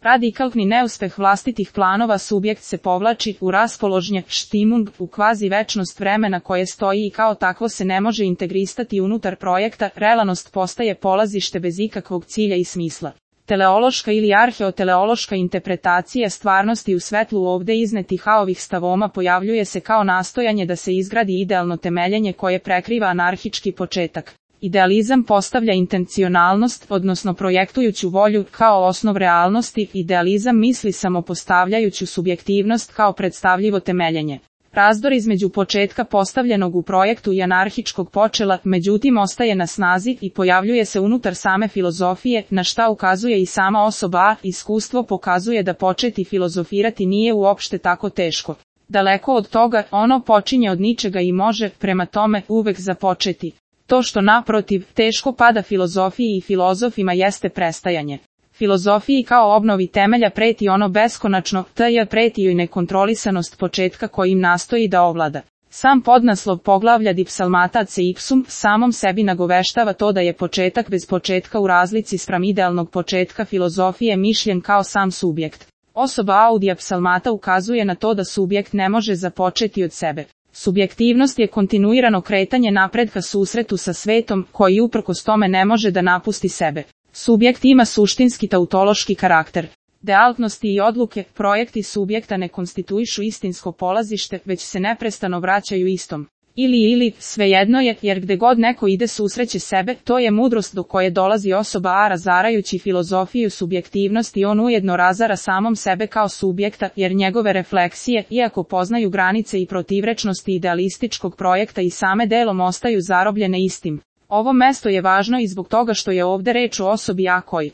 Radikalni neuspeh vlastitih planova subjekt se povlači u raspoložnje, štimung, u kvazi večnost vremena koje stoji i kao takvo se ne može integristati unutar projekta, relanost postaje polazište bez ikakvog cilja i smisla. Teleološka ili arheoteleološka interpretacija stvarnosti u svetlu ovde iznetih ovih stavoma pojavljuje se kao nastojanje da se izgradi idealno temeljenje koje prekriva anarhički početak. Idealizam postavlja intencionalnost, odnosno projektujuću volju, kao osnov realnosti, idealizam misli samopostavljajuću subjektivnost kao predstavljivo temeljenje. Razdor između početka postavljenog u projektu i anarhičkog počela, međutim ostaje na snazi i pojavljuje se unutar same filozofije, na šta ukazuje i sama osoba A. Iskustvo pokazuje da početi filozofirati nije uopšte tako teško. Daleko od toga, ono počinje od ničega i može, prema tome, uvek započeti. To što naprotiv, teško pada filozofiji i filozofima jeste prestajanje. Filozofiji kao obnovi temelja preti ono beskonačno, preti joj nekontrolisanost početka kojim nastoji da ovlada. Sam podnaslov poglavlja Dipsalmatace ipsum samom sebi nagoveštava to da je početak bez početka u razlici spram idealnog početka filozofije mišljen kao sam subjekt. Osoba Audija psalmata ukazuje na to da subjekt ne može započeti od sebe. Subjektivnost je kontinuirano kretanje napred ka susretu sa svetom, koji uprkos tome ne može da napusti sebe. Subjekt ima suštinski tautološki karakter. Dealtnosti i odluke, projekti subjekta ne konstituišu istinsko polazište, već se neprestano vraćaju istom. Ili, svejedno je, jer gde god neko ide susreće sebe, to je mudrost do koje dolazi osoba A razarajući filozofiju subjektivnosti on ujedno razara samom sebe kao subjekta, jer njegove refleksije, iako poznaju granice i protivrečnosti idealističkog projekta i same delom ostaju zarobljene istim. Ovo mesto je važno i zbog toga što je ovde reč o osobi A koji